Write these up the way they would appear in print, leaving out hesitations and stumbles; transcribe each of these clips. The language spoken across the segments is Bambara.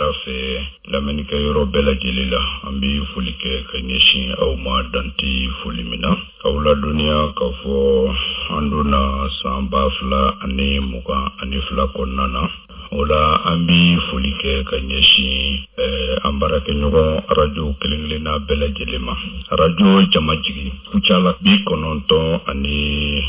sira fɛ lamɛnnikɛ yɔrɔ bɛɛ lajɛlen la, an bɛ foli kɛ ka ɲɛsin aw ma dan tɛ foli min na. K'aw ladɔnniya k'a fɔ an donna san 2022 kɔnɔna na. O la an bɛ foli kɛ ka ɲɛsin an baarakɛɲɔgɔn arajo kelen-kelenna bɛɛ lajɛlen ma. Arajo Jamajigi Kucala 96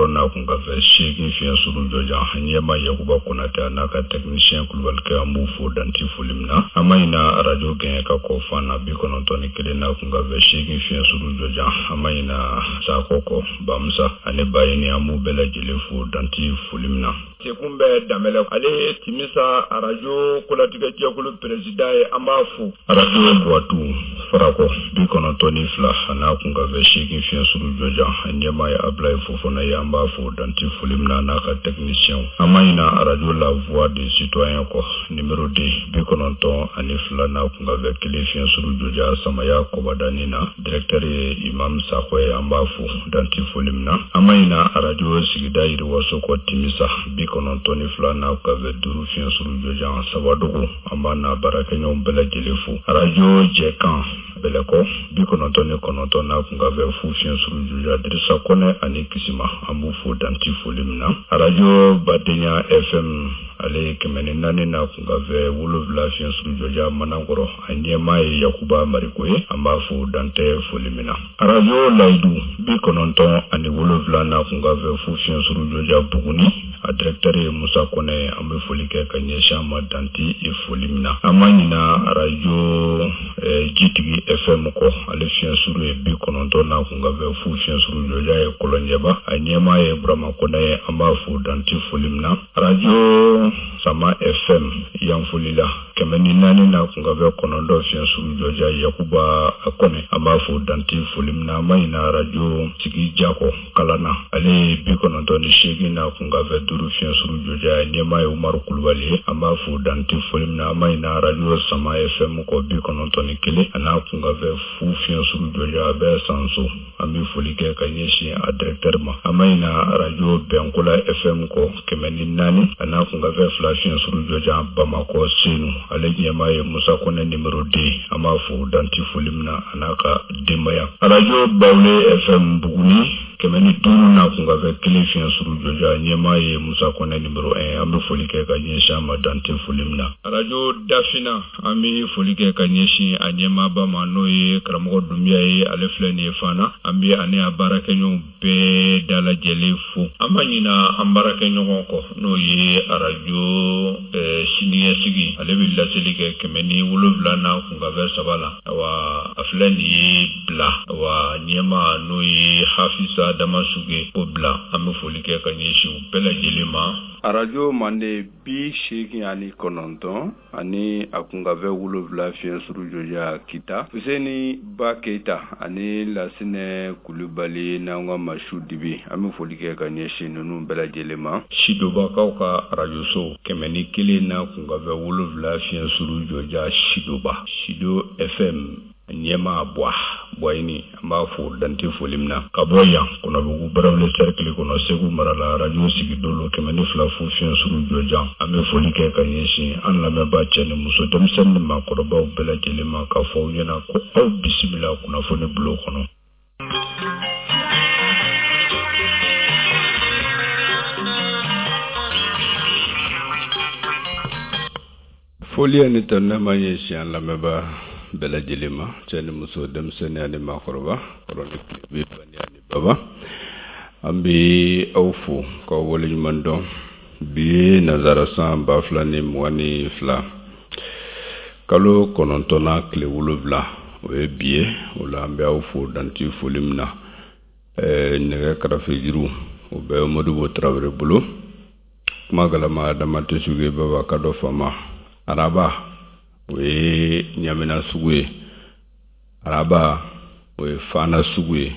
n'a kunkanfɛ 8 fiɲɛ suru jɔjan, ɲɛmaa Yakuba Konatɛ a n'a ka technicien Kulubalikɛ, an b'u fo dan tɛ foli min na. An ma ɲina arajo Gɛɲɛka kɔ Fana 91 n'a kunkanfɛ 8 fiɲɛ suru jɔjan, an ma ɲina Sakɔ kɔ Bamusa ani Bayini, an b'u bɛɛ lajɛlen fo dan tɛ foli min na. Sekun bɛ Danbɛlɛ, ale ye Timisa arajo kolatigɛ jɛkulu peresidan ye, an b'a fo. Arajo Buwatu Farakɔ 92 a n'a kunkanfɛ 8 fiɲɛ suru jɔjan, a ɲɛmaa ye Abulayi Fofana ye, an b'a fo dan tɛ foli min na a n'a ka tɛkinisiyɛnw. An ma ɲina arajo La Voix du Citoyen kɔ nimero 2 92 n'a kunkanfɛ 1 fiɲɛ suru jɔjan, Samaya Kɔbadani na. Directeur ye Imam Sakɔ ye, an b'a fo dan tɛ foli min na. An ma ɲina arajo sigida yiriwaso kɔ Timisa 92 n'a kunkanfɛ 5 fiɲɛ suru jɔjan, Sabadogo, an b'a n'a baarakɛɲɔgɔn bɛɛ lajɛlen fo. Arajo Jɛkan Bɛlɛkɔ 99 n'a kunkanfɛ 0 fiɲɛ suru jɔjan, Dirisa Kɔnɛ ani Kisima, an b'u fo dan tɛ foli min na. Arajo Badenya FM ale ye 104 n'a kunkanfɛ 7 fiɲɛ suru jɔjan, Manankɔrɔ, a ɲɛmaa ye Yakuba Mariko ye, an b'a fo dan tɛ foli min na. Arajo Layidu 97 n'a kunkanfɛ 0 fiɲɛ suru jɔjan, Buguni, a directeur ye Musa Kɔnɛ ye, an bɛ foli kɛ ka ɲɛsin a ma dan tɛ foli min na. An ma ɲina arajo Jitigi FM kɔ, ale fiɲɛ suru ye 90 n'a kunkanfɛ 0 fiɲɛ suru jɔjan ye Kɔlɔnjɛba, a ɲɛmaa ye Burama Kɔnɛ ye, an b'a fo dan tɛ foli min na. Arajo Sama FM Yanfolila 104 n'a kunkanfɛ 9 fiɲɛ suru jɔjan, Yakuba Kɔnɛ, an b'a fo dan tɛ foli min na. An ma ɲina arajo Sigi Jakɔ Kalana, ale ye 98 n'a kunkanfɛ 5 fiɲɛ suru jɔjan, a ɲɛmaa ye Umaru Kulubali ye, an b'a fo dan tɛ foli min na. An ma ɲina arajo Sama FM kɔ 91 a n'a kunkanfɛ 0 fiɲɛ suru jɔjan, a bɛ Sanso, an bɛ foli kɛ ka ɲɛsin a directeur ma. An ma ɲina arajo Bɛnkola FM kɔ 104 a n'a kunkanfɛ 2 fiɲɛ suru jɔjan, Bamakɔ Senu, ale ɲɛmaa ye Musa Kɔnɛ numéro 2, an b'a fo dan tɛ foli min na a n'a ka denbaya. Arajo Bawule FM Buguni 105 n'a kunkanfɛ 1 fiɲɛ suru jɔjan, ɲɛmaa ye Musa Kɔnɛ numéro 1, an bɛ foli kɛ ka ɲɛsin a ma dan tɛ foli min na. Arajo Dafina, an bɛ foli kɛ ka ɲɛsin a ɲɛmaaba ma, n'o ye karamɔgɔ Dunbiya ye, ale filɛ nin ye Fana, an bɛ ani a baarakɛɲɔgɔnw bɛɛ dalajɛlen fo. An ma ɲina an baarakɛɲɔgɔn kɔ, n'o ye arajo siniɲɛsigi, ale bɛ laseli kɛ 107 n'a kunkanfɛ 3 la. Awa a filɛ nin ye Bila, awa ɲɛmaa n'o ye Hafisa Damasuge o Bila, an bɛ foli kɛ ka ɲɛsin u bɛɛ lajɛlen ma. Arajo Mande 89 ani a kunkanfɛ 7 fiɲɛ suru jɔjan, Kita, Fuseni Ba Keyita ani Lasinɛ Kulubali n'an ka Masu Dibi, an bɛ foli kɛ ka ɲɛsin ninnu bɛɛ lajɛlen ma. Sidobakaw ka arajoso 101 n'a kunkanfɛ 7 fiɲɛ suru jɔjan, Sidoba, Sido FM ɲɛmaa Buwa Buwayini, an b'a fo dan tɛ foli min na. Ka bɔ yan Kɔnɔbugu Barawuli cercle kɔnɔ Segu mara la, arajo Sigidolo 102 fu fiɲɛ suru jɔjan, an bɛ foli kɛ ka ɲɛsin an lamɛnbaa cɛ ni muso, denmisɛnnin ni maakɔrɔbaw bɛɛ lajɛlen ma, k'a fɔ aw ɲɛna ko aw bisimila kunnafoni bulon kɔnɔ. Foli ani tanuni b'an ɲɛsin an lamɛnbaa bɛɛ lajɛlen ma, cɛ ni muso, denmisɛnnin ani maakɔrɔba, kɔrɔ ni tilebin, bani ani baba, an bɛ aw fo k'aw waleɲuman dɔn. Bi ye nansara san 2022 kalo kɔnɔntɔnnan tile 7, o ye bi ye. O la an bɛ aw fo dan tɛ foli min na. Nɛgɛ karafejuru o bɛ Modibo Tarawele bolo. Kuma galama dama tɛ sugu baba ka dɔ fama. Araba o ye Ɲamina sugu ye, araba o ye Fana sugu ye,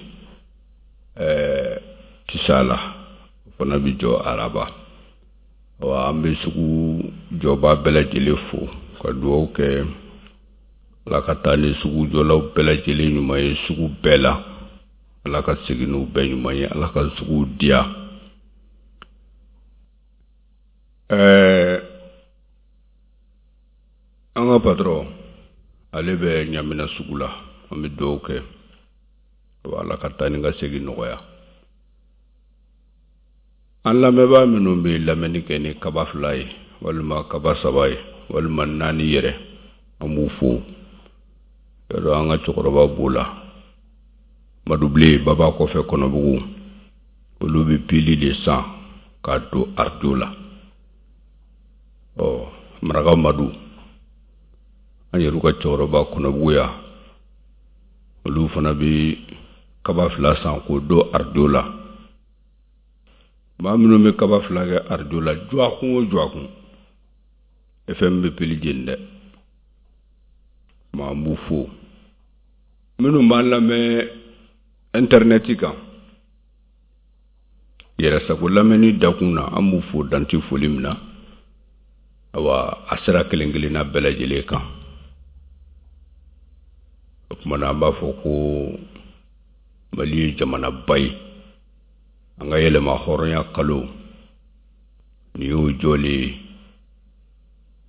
Tisala o fana bɛ jɔ araba. Wa an bɛ sugu jɔba bɛɛ lajɛlen fo ka dugawu kɛ Ala ka taa ni sugu jɔlaw bɛɛ lajɛlen ɲuman ye sugu bɛɛ la, Ala ka segin n'u bɛɛ ɲuman ye, Ala ka sugu diya. Ɛɛ An ka patron, ale bɛ Ɲamina sugu la. An bɛ dugawu kɛ, Ala ka taa ni ka segin nɔgɔya. An lamɛnbaa minnu bɛ lamɛnni kɛ ni kaba 2 ye, walima kaba 3 ye, walima 4 yɛrɛ, an b'u fo. Yadɔ an ka cɛkɔrɔba b'o la, Madubilen Baba kɔfɛ Kɔnɔbugu, olu bɛ pili de san k'a don arajo la. Ɔ Maraka Madu, an yɛrɛ ka cɛkɔrɔba Kɔnɔbugu yan, olu fana bɛ kaba 2 san k'o don arajo la. Maa minnu bɛ kaba 2 kɛ arajo la, dɔgɔkun o dɔgɔkun, FM bɛ pili jeni dɛ. Maa, an b'u fo. Minnu b'an lamɛn intɛrɛnɛti kan, yɛrɛsago lamɛnni dakun na, an b'u fo danti foli min na. Awa, a sira kelen kelenna bɛɛ lajɛlen kan. O tuma na, an b'a fɔ ko Mali ye jamanaba ye. An ka yɛlɛma hɔrɔnya kalo nin y'o jɔlen ye.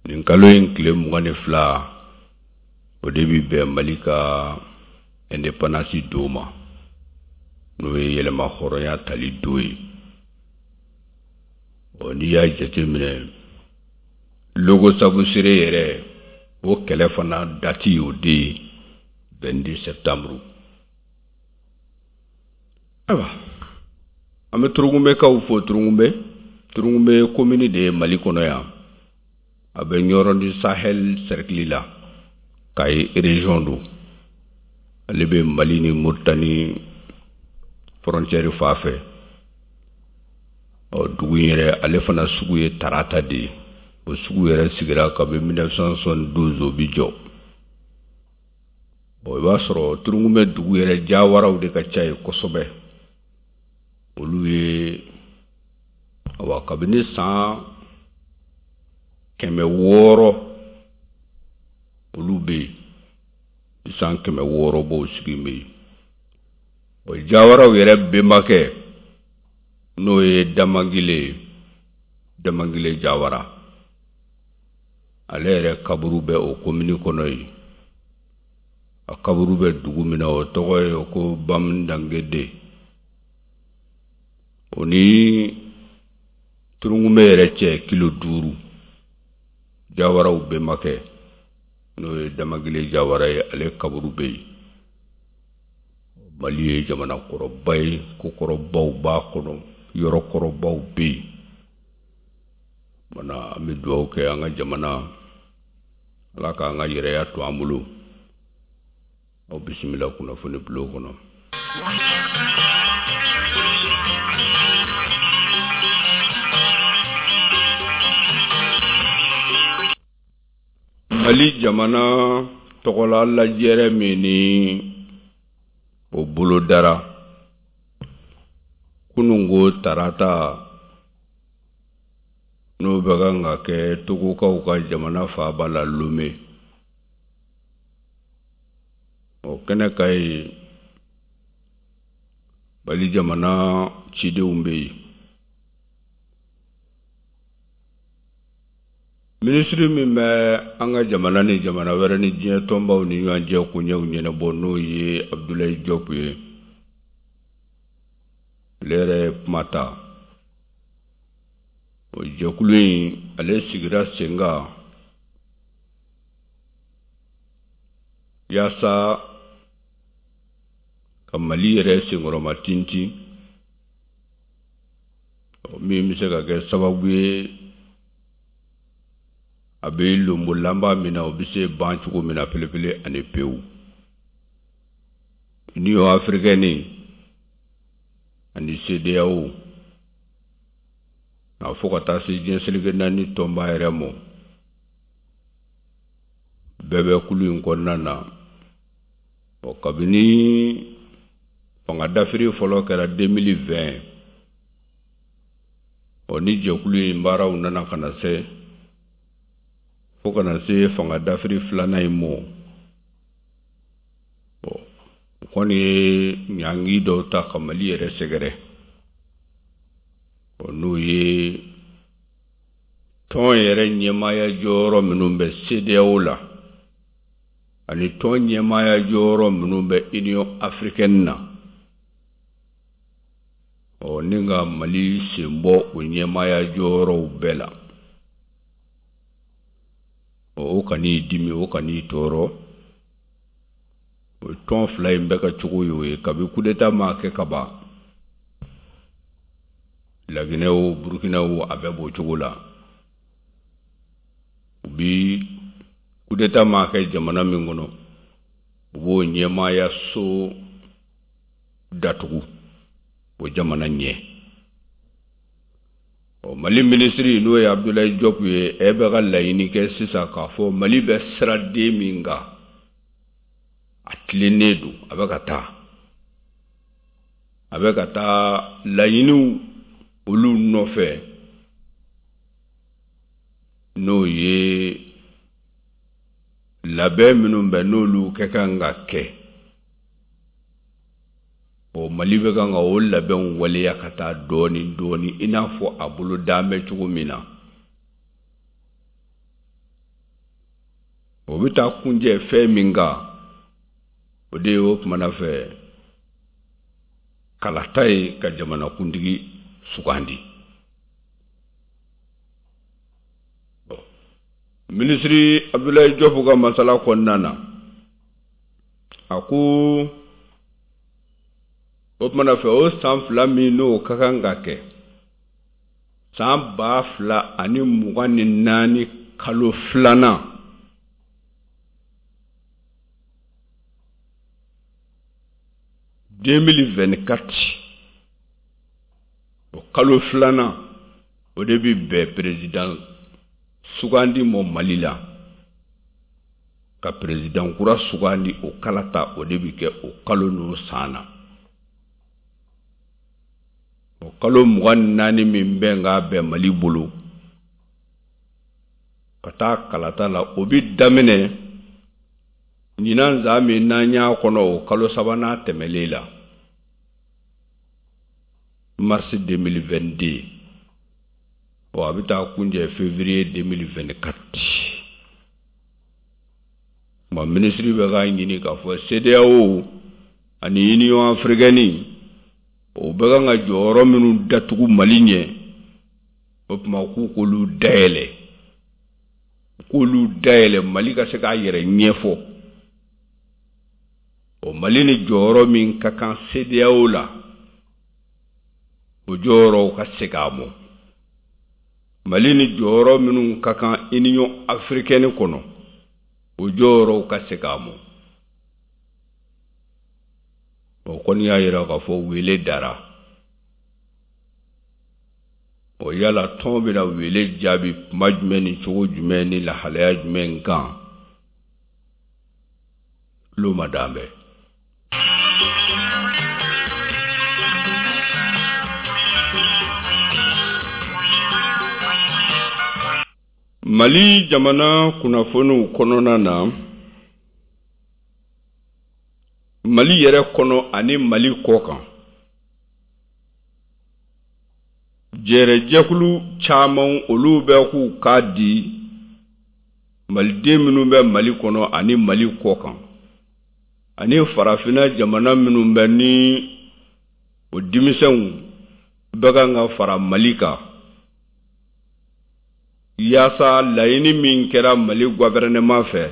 Nin kalo in tile 22, o de bɛ bɛn Mali ka indépendance don ma, n'o ye yɛlɛma hɔrɔnya tali don ye. Ɔ n'i y'a jateminɛ, Logo Sabusire yɛrɛ, o kɛlɛ fana date y'o de ye, 22 septembre. Ayiwa, an bɛ Turungunbɛkaw fo. Turungunbɛ, Turungunbɛ commune de ye Mali kɔnɔ yan. A bɛ Ɲɔrɔ du Sahel cercle la, Kayi région don. Ale bɛ Mali ni Mauritanie frontière fan fɛ. Ɔ dugu in yɛrɛ, ale fana sugu ye tarata de ye. O sugu yɛrɛ sigira kabi 1972, o bi jɔ. Bon, i b'a sɔrɔ Turungunbɛ dugu yɛrɛ, jawaraw de ka ca yen kosɛbɛ. Olu ye, awa, kabini san 600 olu bɛ yen, san 600 b'o sigi bɛ yen. O jawaraw yɛrɛ bɛnbakɛ, n'o ye Damagile ye, Damagile Jawara, ale yɛrɛ kaburu bɛ o komini kɔnɔ yen. A kaburu bɛ dugu min na, o tɔgɔ ye ko Bamdangede. O ni Turungunbɛ yɛrɛ cɛ kilo 5. Jawaraw bɛnbakɛ, n'o ye Damagile Jawara ye, ale kaburu bɛ yen. Mali ye jamana kɔrɔba ye, kokɔrɔbaw b'a kɔnɔ, yɔrɔkɔrɔbaw bɛ yen. Mana, an bɛ dugawu kɛ an ka jamana, Ala k'an ka yɛrɛya to an bolo. Aw bisimila kunnafoni bulon kɔnɔ. Mali jamana tɔgɔla lajɛrɛ min ni o bolodara kununko tarata, n'o bɛ kan ka kɛ Togokaw ka jamana faaba la, Lome, o kɛnɛ ka yen, Mali jamana cidenw bɛ yen. Minisiri min bɛ an ka jamana ni jamana wɛrɛ ni diɲɛ tɔnbaw ni ɲɔgɔn cɛ koɲɛw ɲɛnabɔ, n'o ye Abdoulaye Diop ye, ale yɛrɛ ye kuma ta. O jɛkulu in, ale sigira sen kan yaasa ka Mali yɛrɛ senkɔrɔma tintin, min bɛ se ka kɛ sababu ye a bɛ lonbolanba min na, o bɛ se ban cogo min na pelepele ani pewu. Union africaine ani CEDEAO a fo ka taa se diɲɛ seleke naani tɔnba yɛrɛ mɔ, bɛɛ bɛ kulu in kɔnɔna na. Ɔ kabini fanga dafiri fɔlɔ kɛra 2020, ɔ ni jɛkulu in baaraw nana ka na se fo ka na se fanga dafiri filanan in mɔ. Bɔn, o kɔni ye ɲangi dɔw ta ka Mali yɛrɛ sɛgɛrɛ. Ɔ n'o ye tɔn yɛrɛ ɲɛmaaya jɔyɔrɔ minnu bɛ CEDEAO la. Ani tɔn ɲɛmaaya jɔyɔrɔ minnu bɛ Union africaine na, ɔ ni ka Mali sen bɔ o ɲɛmaaya jɔyɔrɔw bɛɛ la, ɔ o kan'i dimi, o kan'i tɔɔrɔ. O tɔn fila in bɛɛ ka cogo y'o ye kabi kudeta ma kɛ ka ban. Laginɛ o, Burukina o, a bɛɛ b'o cogo la. U bi kudeta ma kɛ jamana min kɔnɔ, u b'o ɲɛmaaya so datugu o jamana ɲɛ. Ɔ Mali minisiri, n'o ye Abdoulaye Diop ye, e bɛ ka laɲini kɛ sisan k'a fɔ Mali bɛ siraden min kan, a tilennen don, a bɛ ka taa laɲiniw olu nɔfɛ, n'o ye labɛn minnu bɛ n'olu kɛ kan ka kɛ. Ɔ Mali bɛ kan ka o labɛnw waleya ka taa dɔɔni dɔɔni, i n'a fɔ a bolo dan bɛ cogo min na. O bɛ taa kunjɛ fɛn min kan, o de ye o kumana fɛ kalata ye ka jamanakuntigi sugandi. Minisiri Abdoulaye Diop ka masala kɔnɔna na, a ko o tumana fɛ, o san 2 min n'o ka kan ka kɛ san 2024 kalo 2nan, 2024, o kalo 2nan, o de bɛ bɛn président sugandi mɔ Mali la, ka président kura sugandi. O kalata, o de bɛ kɛ o kalo n'o san na. O kalo 24 min bɛ k'a bɛn Mali bolo ka taa kalata la, o bɛ daminɛ ɲinan san min n'an y'a kɔnɔ, o kalo sabanan tɛmɛlen la, mars 2022. Ɔ a bɛ taa kunjɛ février 2024. Tuma minisiri bɛ k'a ɲini k'a fɔ CEDEAO ani Union africaine, o bɛ kan ka jɔyɔrɔ minnu datugu Mali ɲɛ, o tuma k'u k'olu dayɛlɛ, k'olu dayɛlɛ, Mali ka se k'a yɛrɛ ɲɛfɔ. O Mali ni jɔyɔrɔ min ka kan CEDEAO la, o jɔyɔrɔw ka segin a mɔ. Mali ni jɔyɔrɔ minnu ka kan Union africaine kɔnɔ, o jɔyɔrɔw ka segin a mɔ. O kɔni y'a yira k'a fɔ wele dara. O yala tɔn bɛna wele jaabi kuma jumɛn ni cogo jumɛn ni lahalaya jumɛn kan, tulo ma dan bɛɛ. Mali jamana kunnafoniw kɔnɔna na, Mali yɛrɛ kɔnɔ ani Mali kɔ kan, jɛrɛjɛkulu caman, olu bɛ k'u k'a di maliden minnu bɛ Mali kɔnɔ ani Mali kɔ kan ani farafinna jamana minnu bɛ ni o denmisɛnw bɛ kan ka fara Mali kan, yaasa laɲini min kɛra Mali gouvernement fɛ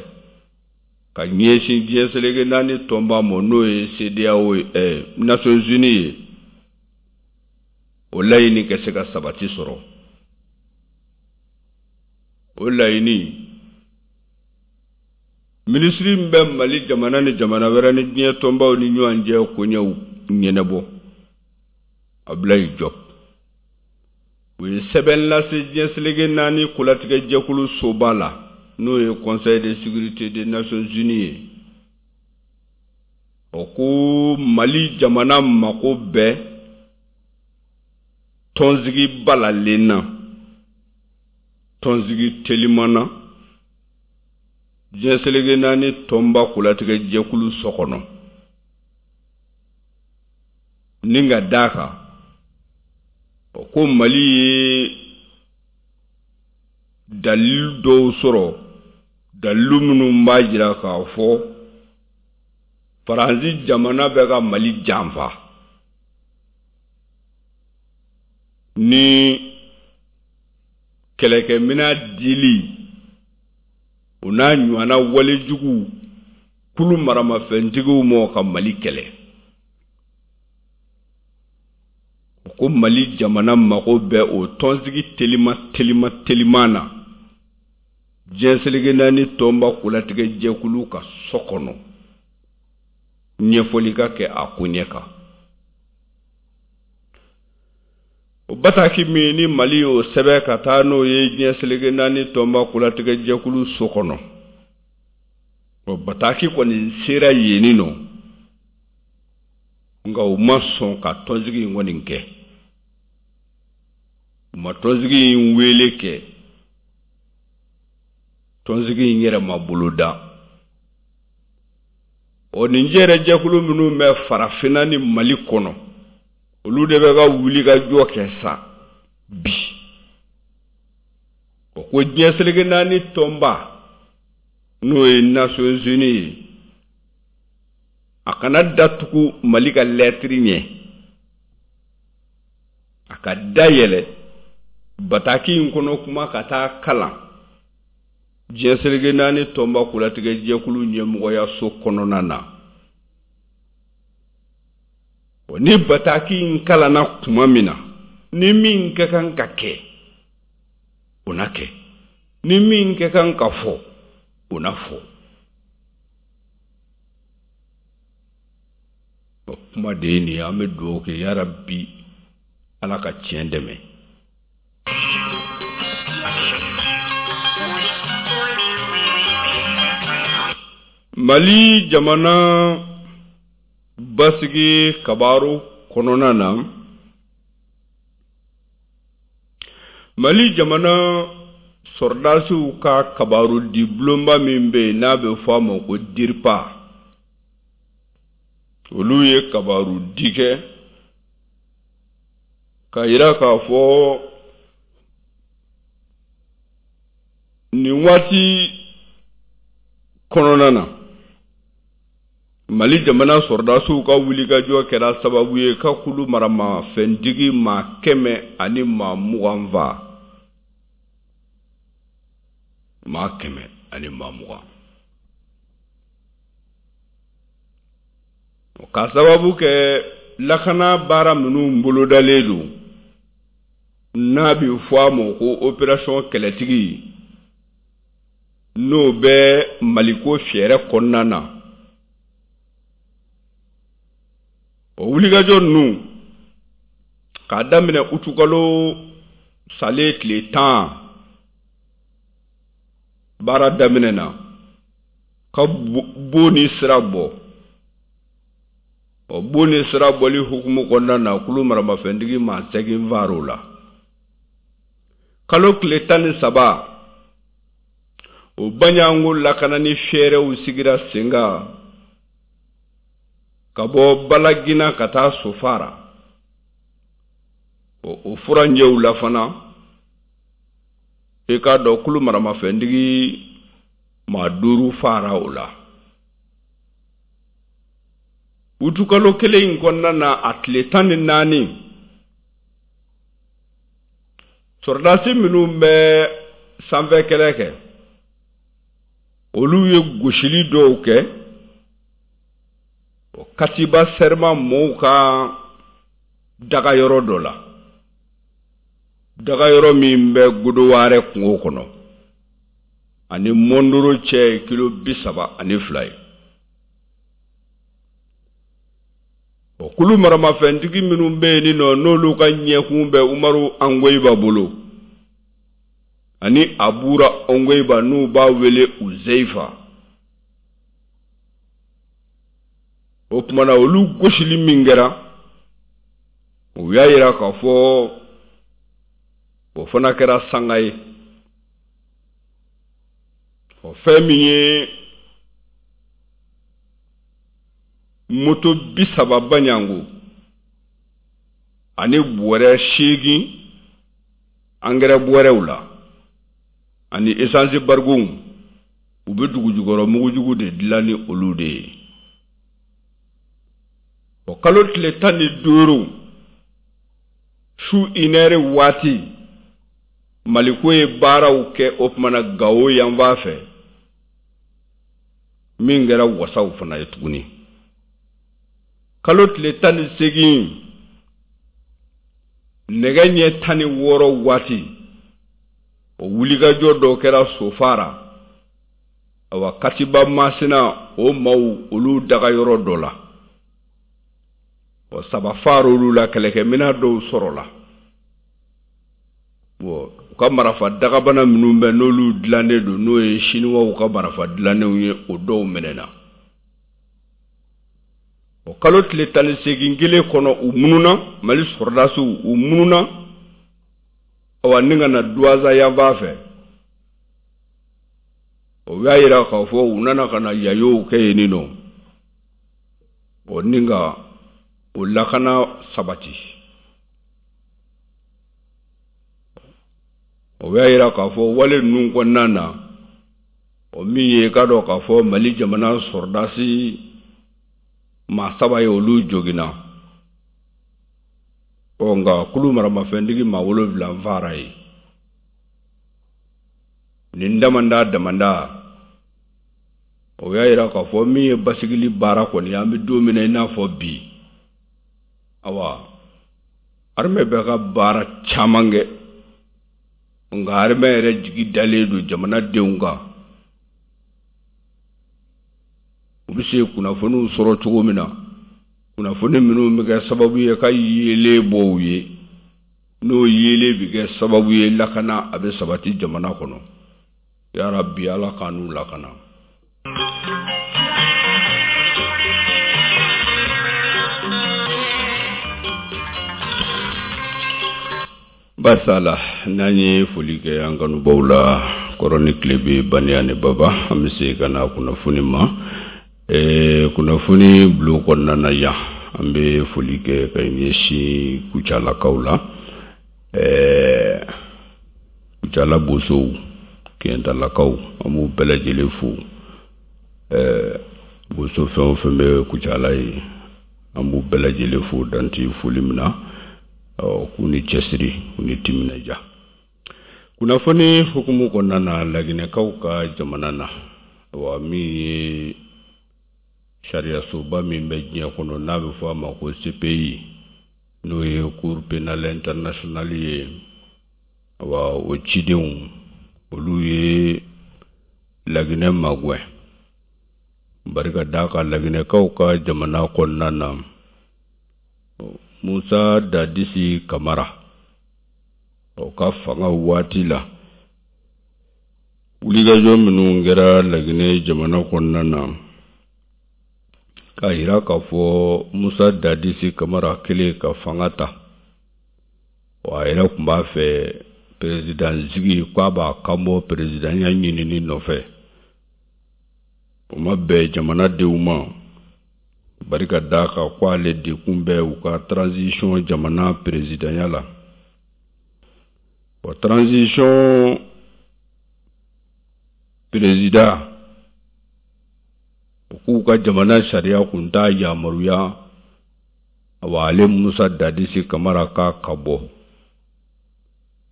ka ɲɛsin diɲɛ seleke naani tɔnba ma, n'o ye CEDEAO ye, Nations Unies ye, o laɲini ka se ka sabati sɔrɔ. O laɲini, minisiri min bɛ Mali jamana ni jamana wɛrɛ ni diɲɛ tɔnbaw ni ɲɔgɔn cɛ koɲɛw ɲɛnabɔ, Abdoulaye Diop, u ye sɛbɛn lase diɲɛ seleke naani kolatigɛ jɛkulu soba la, n'o ye Conseil de sécurité des Nations Unies ye. O ko Mali jamana mako bɛ tɔnsigi balalen na, tɔnsigi teliman na diɲɛ seleke naani tɔnba kolatigɛ jɛkulu so kɔnɔ, ni ka d'a kan o ko Mali ye dalilu dɔw sɔrɔ. Dalilu minnu b'a jira k'a fɔ Faransi jamana bɛ ka Mali janfa ni kɛlɛkɛminɛn dili o n'a ɲɔgɔnna walejugu kulu maramafɛntigiw ma ka Mali kɛlɛ. U ko Mali jamana mago bɛ o tɔnsigi telima telima teliman na diɲɛ seleke naani tɔnba kolatigɛ jɛkulu ka so kɔnɔ ɲɛfɔli ka kɛ a koɲɛ kan. O bataki min ni Mali y'o sɛbɛn ka taa n'o ye diɲɛ seleke naani tɔnba kolatigɛ jɛkulu so kɔnɔ, o bataki kɔni sera yenni nɔ, nka u ma sɔn ka tɔnsigi in kɔni kɛ. U ma tɔnsigi in wele kɛ, tɔnsigi in yɛrɛ ma boloda. Ɔ nin jɛrɛjɛkulu minnu bɛ farafinna ni Mali kɔnɔ, olu de bɛ ka wulikajɔ kɛ sa bi. O ko diɲɛ seleke naani tɔnba, n'o ye Nations Unies ye, a kana datugu Mali ka lɛtiri ɲɛ, a ka dayɛlɛ bataki in kɔnɔ kuma ka taa kalan diɲɛ seleke naani tɔnba kolatigɛ jɛkulu ɲɛmɔgɔyaso kɔnɔna na. Ni bataki in kalanna tuma min na, ni min ka kan ka kɛ, o na kɛ, ni min ka kan ka fɔ, o na fɔ. O kuma de ye nin ye. An bɛ dugawu kɛ, yarabi Ala ka tiɲɛ dɛmɛ. Mali jamana basigi kabaru kɔnɔna na, Mali jamana sɔrɔdasiw ka kabaru di bulonba min bɛ yen n'a bɛ fɔ a ma ko DIRPA, olu ye kabaru di kɛ k'a jira k'a fɔ nin waati kɔnɔna na, Mali jamana sɔrɔdasiw ka wulikajɔ kɛra sababu ye ka kulu maramafɛntigi maa 120 faa. Maa 120. Ka sababu kɛ lakana baara minnu bolodalen don, n'a bɛ fɔ a ma ko opération kɛlɛtigi, n'o bɛ Maliko fɛɛrɛ kɔnɔna na, o wulikajɔ ninnu k'a daminɛ utukalo salen tile 10 baara daminɛ na ka bon ni sira bɔ. O bon ni sira bɔli hukumu kɔnɔna na, kulu maramafɛntigi maa 8 far'o la. Kalo tile 13, o Baɲango lakanani fɛɛrɛw sigira sen kan ka bɔ Balagina ka taa Sofara. O furancɛw la fana, i k'a dɔn kulu maramafɛntigi maa 5 fara o la. Utukalo kelen in kɔnɔna na, a tile 14, sɔrɔdasi minnu bɛ sanfɛ kɛlɛ kɛ, olu ye gosili dɔw kɛ o Katiba Sɛrima mɔɔw ka dagayɔrɔ dɔ la, dagayɔrɔ min bɛ Godowarɛ kungo kɔnɔ ani Mondoro cɛ ye kilo 32 ye. O kulu maramafɛntigi minnu bɛ yen nɔ, n'olu ka ɲɛkun bɛ Umaru Angoyiba bolo ani Abura Ongoyiba, n'u b'a wele Uzeifa, o tuma na olu gosili min kɛra, u y'a jira k'a fɔ o fana kɛra sanga ye. O fɛn min ye moto 30 Baɲango ani bɔrɛ 8 angɛrɛ bɔrɛw la ani esansi barigonw, U bɛ dugujukɔrɔ mugujugu de dilan ni olu de ye. O kalo tile 15 su inɛri waati, Maliko ye baaraw kɛ o tuma na Gawo yanfan fɛ, min kɛra wasaw fana ye tuguni. Kalo tile 18, nɛgɛ ɲɛ 16 waati, o wulikajɔ dɔ kɛra Sofara, awa, Katiba Masina o maaw olu dagayɔrɔ dɔ la. Ɔ, saba far'olu la, kɛlɛkɛminɛn dɔw sɔrɔla. U ka marafa dagabana minnu bɛ, n'olu dilannen don, n'o ye siniwaw ka marafa dilannenw ye, o dɔw minɛna. O kalo tile 18 kelen kɔnɔ, u mununa, Mali sɔrɔdasiw u mununa, awa, ni ka na Duwaza yanfan fɛ. O y'a yira k'a fɔ u nana ka na yayow kɛ yen nɔ, o ni ka o lakana sabati. O y'a yira k'a fɔ wale ninnu kɔnɔna na, o min ye k'a dɔn k'a fɔ Mali jamana sɔrɔdasi maa saba ye, olu joginna. Ɔ, nka kulu maramafɛntigi maa wolonwula fara ye nin damanda damanda. O y'a yira k'a fɔ min ye basigili baara kɔni, an bɛ don min na i n'a fɔ bi, awa, armée bɛ ka baara caman kɛ, nka armée yɛrɛ jigi dalen don jamanadenw kan, u bɛ se kunnafoniw sɔrɔ cogo min na, kunnafoni minnu bɛ kɛ sababu ye ka yeelen bɔ u ye, n'o yeelen bɛ kɛ sababu ye lakana a bɛ sabati jamana kɔnɔ. Yarabi, Ala k'an n'u lakana. Barisa la, n'an ye foli kɛ an kanubaw la, kɔrɔn ni tilebin, baniya ni baba, an bɛ se ka na kunnafoni ma. Kunnafoni bulon kɔnɔna na yan, an bɛ foli kɛ ka ɲɛsin Kucalakaw la, Kucala bosow, Kɛntalakaw, an b'u bɛɛ lajɛlen fo. Boso fɛn o fɛn bɛ Kucala ye, an b'u bɛɛ lajɛlen fo danti foli min na. K'u ni cɛsiri, k'u ni timinadiya. Kunnafoni hukumu kɔnɔna na, Laginɛkaw ka jamana na, wa min ye sariyasoba min bɛ diɲɛ kɔnɔ, n'a bɛ fɔ a ma ko CPI, n'o ye Cour pénale internationale ye, wa o cidenw olu ye Laginɛ magɛn, barika d'a kan Laginɛkaw ka jamana kɔnɔna na, Musa Dadisi Kamara o ka fanga waati la, wulikajɔ minnu kɛra Laginɛ jamana kɔnɔna na, k'a yira k'a fɔ Musa Dadisi Kamara kelen ka fanga ta, wa a yɛrɛ tun b'a fɛ président sigi, k'a b'a kanbɔ présidentya ɲinini nɔfɛ. O ma bɛn jamanadenw ma, barika d'a kan ko ale de kun bɛ u ka transition jamana présidentya la. Wa transition président, u k'u ka jamana sariya kun t'a yamaruya, awa, ale Musa Dadisi Kamara k'a ka bɔ.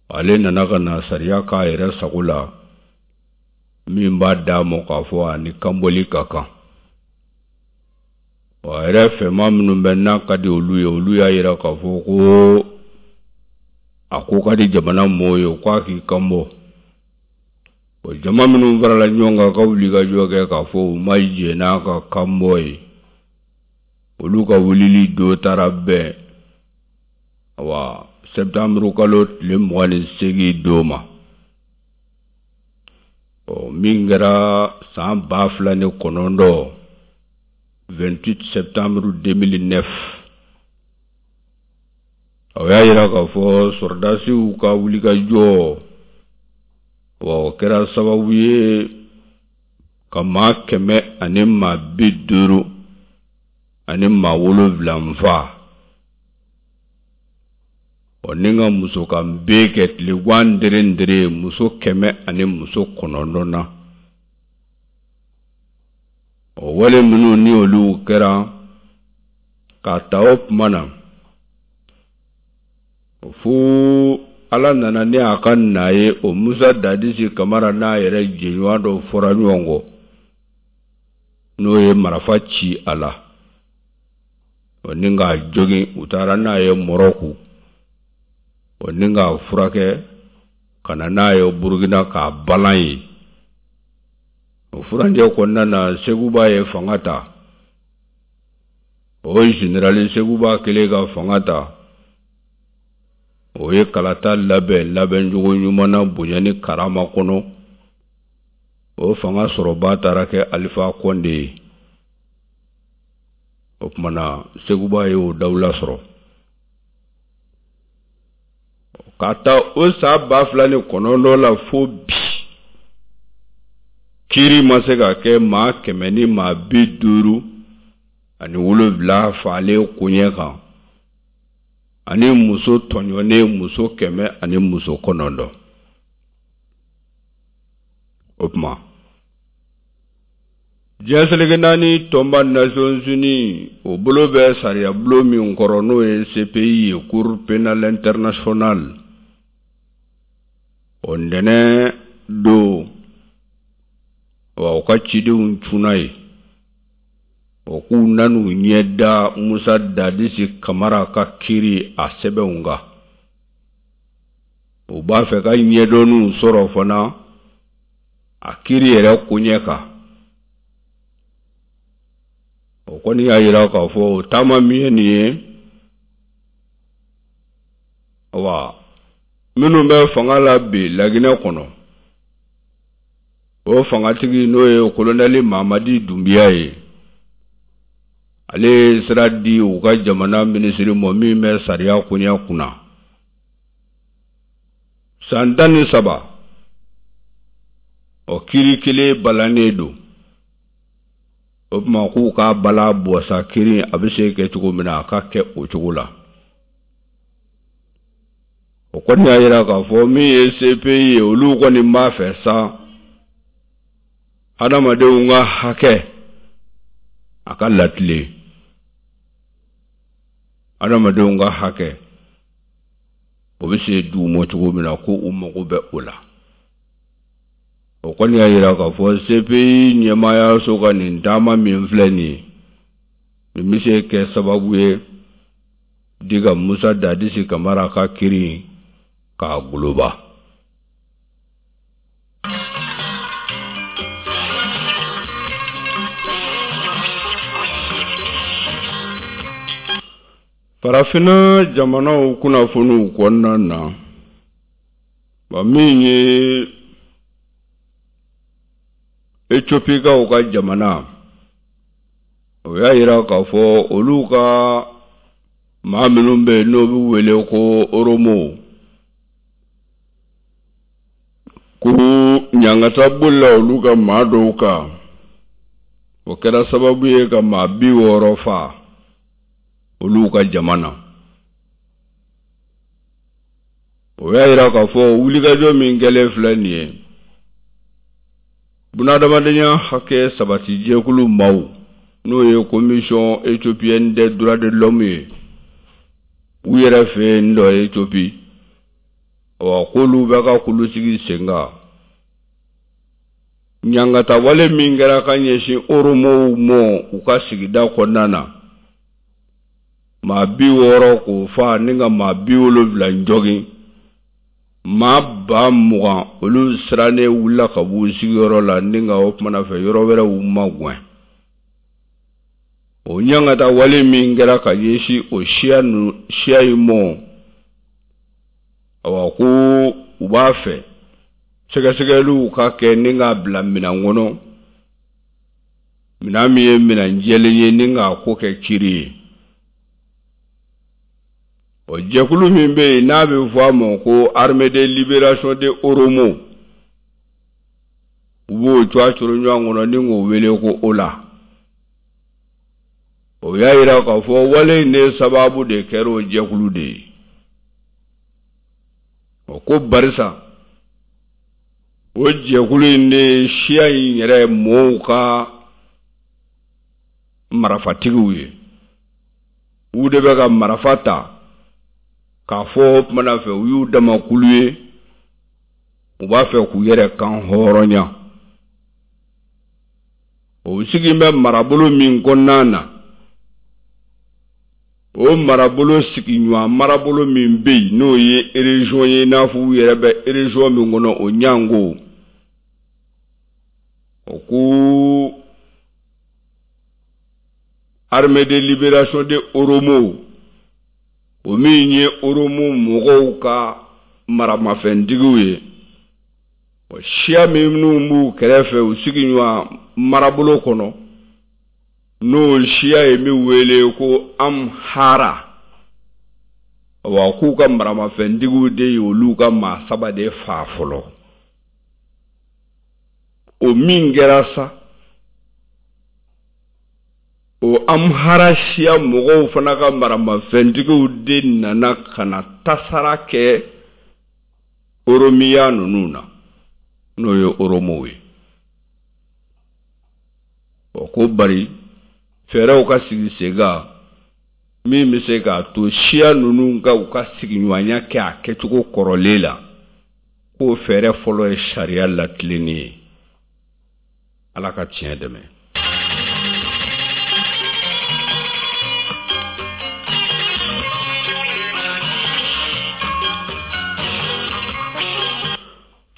Ale nana ka na sariya k'a yɛrɛ sago la, min b'a d'a ma k'a fɔ a ni kanbɔli ka kan. Wa a yɛrɛ fɛma minnu bɛ n'a ka di olu ye, olu y'a yira k'a fɔ ko a ko ka di jamana mɔɔw ye k'a k'i kanbɔ. O jama minnu farala ɲɔgɔn kan ka wulikajɔ kɛ k'a fɔ u ma jɛn n'a ka kanbɔ ye, olu ka wulili do taara bɛn, awa, septembre kalo tile 28 don ma, ɔ, min kɛra san 2009, 28 septembre 2009. O y'a yira k'a fɔ sɔrɔdasiw ka wulikajɔ, wa o kɛra sababu ye ka maa 157 fa, ɔ, ni ka muso kan bɛɛ kɛ tilegan dere dere, muso 109 na. O wale minnu ni olu kɛra k'a ta o tuma na fo Ala nana ni a ka na ye, o Musa Dadisi Kamara n'a yɛrɛ jɛɲɔgɔn dɔ fɔra ɲɔgɔn kɔ, n'o ye marifa ci a la o ni k'a jogin. U taara n'a ye Mɔrɔku o ni k'a furakɛ ka na n'a ye Burukina k'a balan yen. O furancɛ kɔnɔna na, Seguba ye fanga ta. O generali Seguba kɛlen ka fanga ta, o ye kalata labɛn labɛncogo ɲuman na, bonya ni karama kɔnɔ. O fanga sɔrɔba taara kɛ Alifa Kɔnde ye. O tuma na, Seguba ye o dawula sɔrɔ. Ka ta o san 2009 la fo bi, kiiri ma se ka kɛ maa 157 faalen koɲɛ kan, ani muso tɔɲɔnen muso 109. O tuma, diɲɛ seleke naani tɔnba Nations Unies, o bolo bɛ sariyabulon min kɔrɔ, n'o ye CPI ye, Cour pénale internationale, o ntɛnɛn don wa, u ka cidenw cunna yen. O k'u nan'u ɲɛ da Musa Dadisi Kamara ka kiiri a sɛbɛnw kan. U b'a fɛ ka ɲɛdɔnniw sɔrɔ fana a kiiri yɛrɛ koɲɛ kan. O kɔni y'a jira k'a fɔ o taama min ye nin ye wa, minnu bɛ fanga la bi Laginɛ kɔnɔ, o fangatigi, n'o ye kolonɛli Mamadi Dunbiya ye, ale ye sira di u ka jamana minisiri ma min bɛ sariya koɲɛ kunna, san 13, o kiiri kelen balannen don. O tuma, k'u k'a bala bɔ sa, kiiri a bɛ se kɛ cogo min na, a ka kɛ o cogo la. O kɔni y'a jira k'a fɔ min ye CPI ye, olu kɔni b'a fɛ sa hadamadenw ka hakɛ a ka latilen, hadamadenw ka hakɛ o bɛ se d'u ma cogo min na, ko u mago bɛ o la. O kɔni y'a jira k'a fɔ CPI ɲɛmaayaso ka nin taama min filɛ nin ye, nin bɛ se kɛ sababu ye di ka Musa Dadisi Kamara ka kiiri k'a goloba. Farafinna jamanaw kunnafoniw kɔnɔna na wa, min ye Etiopikaw ka jamana, o y'a jira k'a fɔ olu ka maa minnu bɛ yen, n'o bɛ wele ko Oromo, ko ɲangata bolila olu ka maa dɔw kan. O kɛra sababu ye ka maa 60 faa olu ka jama na. O y'a jira k'a fɔ wulikajɔ min kɛlen filɛ nin ye, bunadamadenya hakɛ sabati jɛkulu maaw, n'o ye Commission éthiopienne des droits de l'homme ye u yɛrɛ fɛ yen dɔ Ethiopie, wa k'olu bɛ ka kulu sigi sen kan ɲangatawale min kɛra ka ɲɛsin Oromow mɔ u ka sigida kɔnɔna na, maa 60 k'o fa ni ka maa 70 jogin, maa 20,000 olu sirannen wulila ka b'u sigiyɔrɔ la ni ka o kumana fɛ yɔrɔ wɛrɛw magɛn. O ɲangata wale min kɛra ka ɲɛsin o siya nu siya in mɔ, awa, ko u b'a fɛ sɛgɛsɛgɛliw ka kɛ ni k'a bila minɛn kɔnɔ, minɛn min ye minɛn jɛlen ye, ni k'a ko kɛ kiri ye. O jɛkulu min bɛ yen, n'a bɛ fɔ a ma ko Armée de libération de Oromo, u b'o cogoya coro ɲɔgɔn kɔnɔ ni k'o wele ko OLA, o y'a jira k'a fɔ wale in de sababu de kɛra o jɛkulu de ye. O ko barisa o jɛkulu in de ye siya in yɛrɛ mɔɔw ka marafatigiw ye u de bɛ ka marafa ta k'a fɔ o tuma na fɛ u y'u dama kulu ye u b'a fɛ k'u yɛrɛ kan hɔrɔnya o sigilen bɛ marabolo min kɔnɔna na o marabolo sigiɲɔgɔn marabolo min bɛ yen n'o ye région ye i n'a fɔ u yɛrɛ bɛ région min kɔnɔ o ɲango o ko armée de libération de Oromo o min ye Oromo mɔgɔw ka maramafɛntigiw ye siya minnu b'u kɛrɛfɛ u sigiɲɔgɔn marabolo kɔnɔ n'o siya ye min wele ko Amhara wa k'u ka maramafɛntigiw de ye olu ka maa saba de faa fɔlɔ o min kɛra sa o Amhara siya mɔgɔw fana ka maramafɛntigiw de nana ka na tasara kɛ Oromiya ninnu na n'o ye Oromow ye o ko bari fɛɛrɛw ka sigi sen kan min bɛ se k'a to siya ninnu ka u ka sigiɲɔgɔnya kɛ a kɛcogo kɔrɔlen la k'o fɛɛrɛ fɔlɔ ye sariya latilenni ye ala ka tiɲɛ dɛmɛ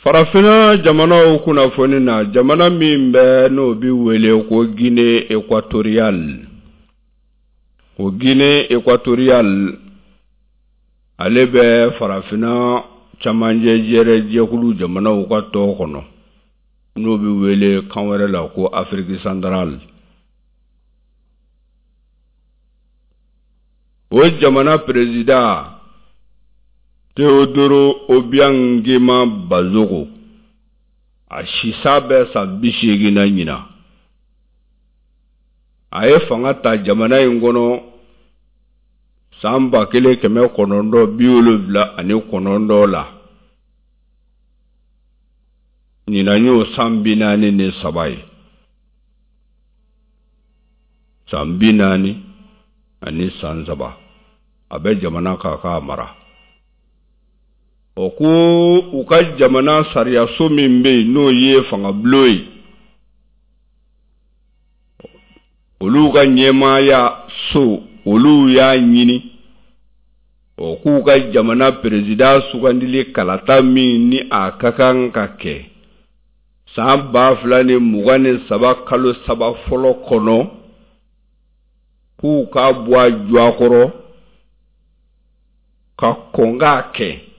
Farafinna jamanaw kunnafoni na jamana min bɛ n'o bɛ wele ko Guinée équatoriale o Guinée équatoriale ale bɛ farafinna camancɛ jɛrɛ jɛkulu jamanaw ka tɔn kɔnɔ n'o bɛ wele kan wɛrɛ la ko Afrique centrale o jamana président Teodoro Obiang Nguema Mbasogo a sisa bɛ san 80 na ɲinan a ye fanga ta jamana in kɔnɔ san 1979 la ɲinan y'o san 43 ye san 43 a bɛ jamana kan k'a mara o ko u ka jamana sariyaso min bɛ yen n'o ye fangabulon ye olu ka ɲɛmaaya so olu y'a ɲini o k'u ka jamana perezidan sugandili kalata min ni a ka kan ka kɛ san 2023 kalo saba fɔlɔ kɔnɔ k'u k'a bɔ a jɔakɔrɔ ka kɔn k'a kɛ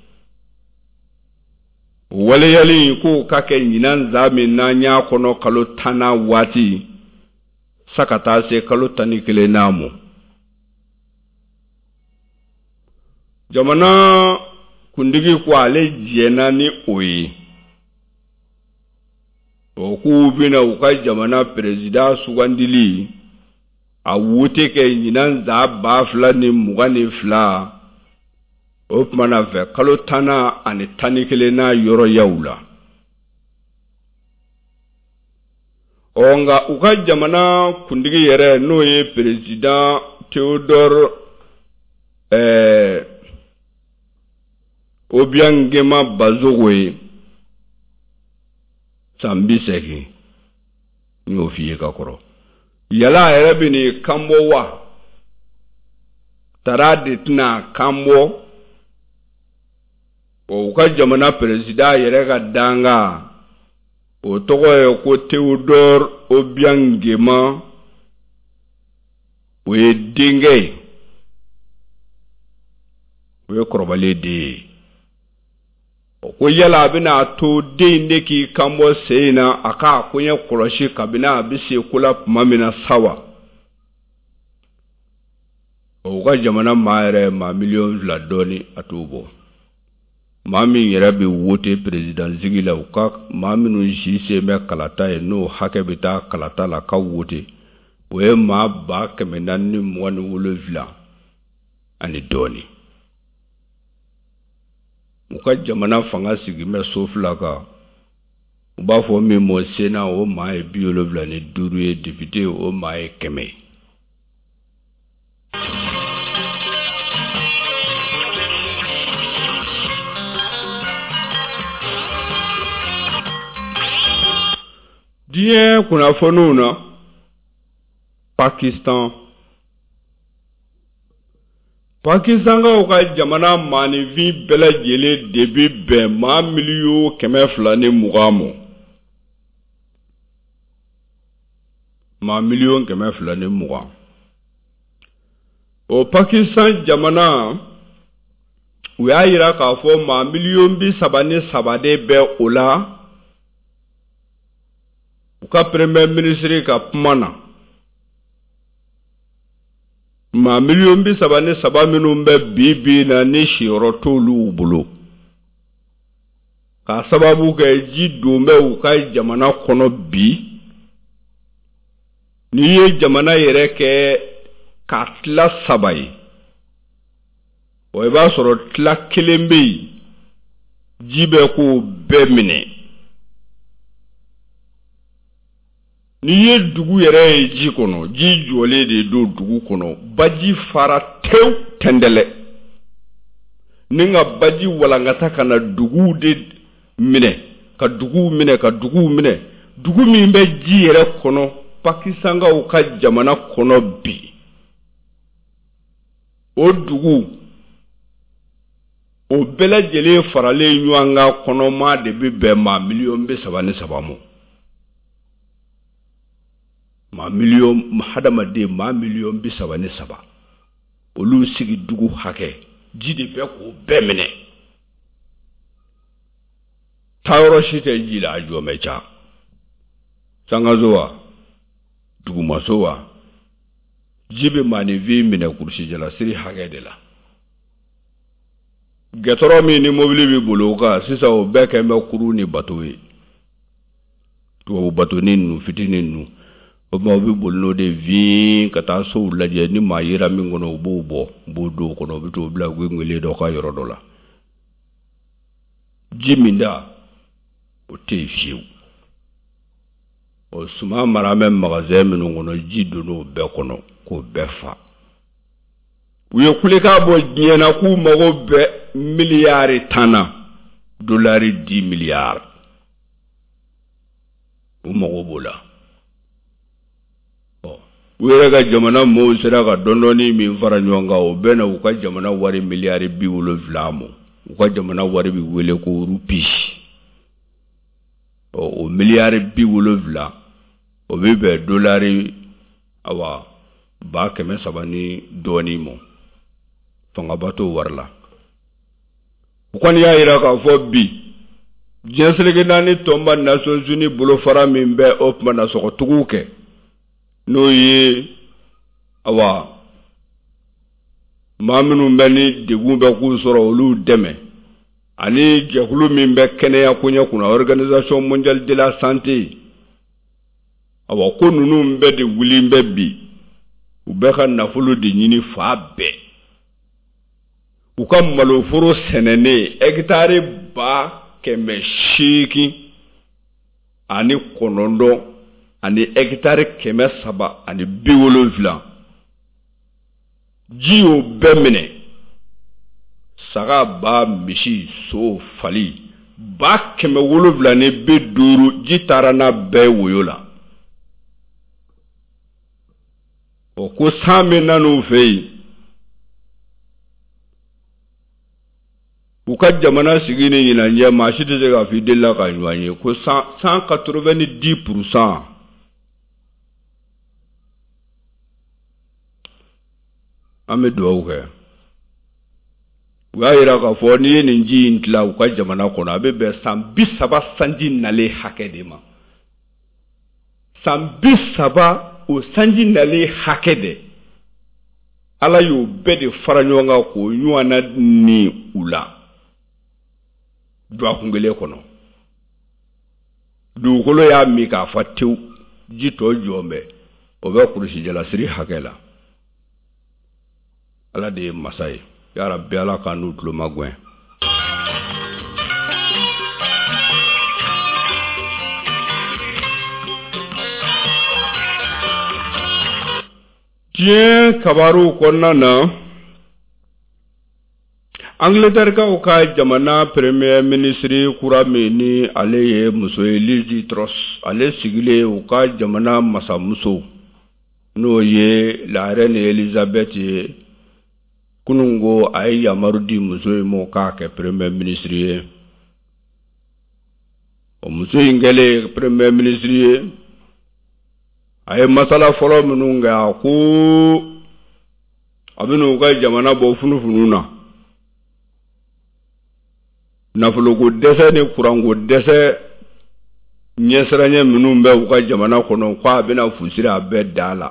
waleyali in k'o ka kɛ ɲinan za min n'an y'a kɔnɔ kalo tannan waati sa ka taa se kalo 11nan ma jamana kuntigi ko ale jɛnna ni o ye o k'u bɛna u ka jamana perezidan sugandili a wote kɛ ɲinan za 2022 o tuma na fɛ kalo tannan ani 11nan yɔrɔyaw la ɔ nka u ka jamana kuntigi yɛrɛ n'o ye perezidan Théodore ɛɛ Obiang Nguema Mbasogo ye san 80 n y'o f'i ye ka kɔrɔ yala a yɛrɛ bɛ n'i kanbɔ wa tara de tɛna kanbɔ o u ka jamana perezidan yɛrɛ ka dankan o tɔgɔ ye ko Théodore Obiang Nguema o ye denkɛ ye o ye kɔrɔbalen den ye o ko yala a bɛna a to den in de k'i kanbɔ sen in na a k'a koɲɛ kɔlɔsi kabini a bɛ se ko la tuma min na sa wa o ka jamana maa yɛrɛ maa miliyɔn 2 dɔɔni a t'o bɔ maa min yɛrɛ bɛ wote perezidansigi la u ka maa minnu si sen bɛ kalata ye n'o hakɛ bɛ taa kalata la ka wote o ye maa 427 ani dɔɔni u ka jamana fanga sigin bɛ so fila kan u b'a fɔ min ma Sénat o maa ye 75 ye député o maa ye 100 ye. Diɲɛ kunnafoniw na, Pakistan. Pakistankaw ka jamana maaninfin bɛɛ lajɛlen de bɛ bɛn maa 220 miliyɔn ma. Maa 220 miliyɔn. O Pakistan jamana, u y'a yira k'a fɔ maa 33 miliyɔn de bɛ o la. U ka premier ministre ka kuma na, maa 33 miliyɔn minnu bɛ bi bi na ni siyɔrɔ t'olu bolo, k'a sababu kɛ ji don bɛ u ka jamana kɔnɔ bi. N'i ye jamana yɛrɛ kɛ k'a tila saba ye, o i b'a sɔrɔ tila kelen bɛ yen, ji bɛ k'o bɛɛ minɛ. N'i ye dugu yɛrɛ ye ji kɔnɔ, ji jɔlen de don dugu kɔnɔ. Baji fara tewu tɛndɛlɛ ni ka baji walankata ka na duguw de minɛ, ka duguw minɛ, ka duguw minɛ. Dugu min bɛ ji yɛrɛ kɔnɔ Pakistankaw ka jamana kɔnɔ bi, o dugu o bɛɛ lajɛlen faralen ɲɔgɔn kan kɔnɔma de bɛ bɛn maa 33 miliyɔn ma. Maa miliyɔn, hadamaden maa 33 miliyɔn, olu sigi dugu hakɛ, ji de bɛ k'o bɛɛ minɛ. Taayɔrɔ si tɛ ji la, a jɔ bɛ ca sankaso wa, dugumaso wa, ji bɛ maaninfin minɛ kurusijalasiri hakɛ de la. Gɛtɔrɔ min ni mobili bɛ boli o kan sisan, o bɛɛ kɛn bɛ kurun ni bato ye, tubabu batoni ninnu fitinin ninnu. O tuma u bɛ boli n'o de vin ka taa sow lajɛ. Ni maa yera min kɔnɔ, u b'o bɔ, u b'o don o kɔnɔ, u bɛ t'o bila gwengwelen dɔ ka yɔrɔ dɔ la. Ji min da o tɛ yen fiyewu. O suman mara bɛ magasin minnu kɔnɔ, ji donn'o bɛɛ kɔnɔ k'o bɛɛ fa. U ye kulekan bɔ diɲɛ na k'u mago bɛ miliyari 10 na, dolari 10 miliyari, u mago b'o la. Ɔ, u yɛrɛ ka jamana mɔɔw sera ka dɔndɔɔni min fara ɲɔgɔn kan, o bɛɛ na u ka jamana wari miliyari 70 ma. U ka jamana wari bɛ wele ko rupi. Ɔ, o miliyari 70, o bɛ bɛn dolari awa 300,000 ni dɔɔnin ma. Fangaba t'o wari la. U kɔni y'a yira k'a fɔ bi, diɲɛ seleke naani tɔnba Nations Unies bolofara min bɛ o tuma na sɔgɔtuguw kɛ, n'o ye awa maa minnu bɛ ni degun bɛ k'u sɔrɔ, olu dɛmɛ, ani jɛkulu min bɛ kɛnɛya koɲɛ kunna, Organisation mondiale de la santé, awa ko ninnu bɛɛ de wulilen bɛ bi. U bɛ ka nafolo de ɲini fa bɛɛ. U ka maloforo sɛnɛnen hɛkitari 889 ani hɛkitari 370, ji y'o bɛɛ minɛ. Saga, ba, misi, so, fali 750,000, ji taara n'a bɛɛ woyo la. O ko san bɛ nan'u fɛ yen, u ka jamana sigi ni ɲinan cɛ, maa si tɛ se k'a fɔ i delila ka ɲɔgɔn ye ko 190%. An bɛ dugawu kɛ. U y'a yira k'a fɔ n'i ye nin ji in tila u ka jamana kɔnɔ, a bɛ bɛn san 30 sanji nalen hakɛ de ma. San 30, o sanji nalen hakɛ de, Ala y'o bɛɛ de fara ɲɔgɔn kan k'o ɲɔgɔnna ni u la dɔgɔkun kelen kɔnɔ. Dugukolo y'a min k'a fa tewu, ji tɔ jɔn bɛ, o bɛ kurusijalasiri hakɛ la. Ala de ye masa ye. Yarabi, Ala k'an n'u tulo magɛn. Diɲɛ kabaruw kɔnɔna na, Angleterrekaw ka jamana premier ministre kura min ni ale ye muso ye Liz Truss, ale sigilen u ka jamana masamuso n'o ye la reine Elizabeth ye, kununko a ye yamaru di muso in ma k'a kɛ premier ministre ye. O muso in kɛlen premier ministre ye, a ye masala fɔlɔ minnu kɛ, a ko a bɛna u ka jamana bɔ funufunu na nafoloko dɛsɛ ni kuranko dɛsɛ ɲɛsiranɲɛ minnu bɛ u ka jamana kɔnɔ, ko a bɛna fu siri a bɛɛ da la,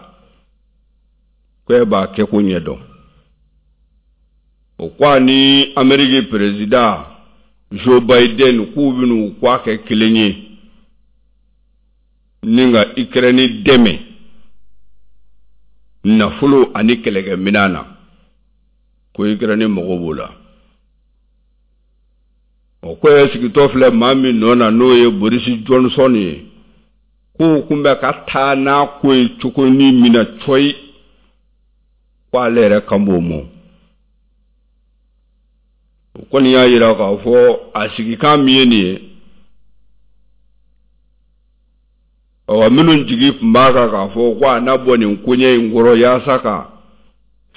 ko e b'a kɛ ko ɲɛdɔn. O ko a ni Ameriki peresidan Joe Biden k'u bɛn'u k'a kɛ kelen ye ni ka Ukraine dɛmɛ nafolo ani kɛlɛkɛminɛn na, ko Ukraine mago b'o la. O ko ye sigitɔ filɛ maa min nɔ na, n'o ye Boris Johnson ye, k'o kun bɛ ka taa n'a ko ye cogo ni min na cɔyi, ko ale yɛrɛ kan b'o ma. O kɔni y'a jira k'a fɔ a sigikan min ye nin ye, awa minnu jigi tun b'a kan k'a fɔ ko a na bɔ nin koɲɛ in kɔrɔ yaasa ka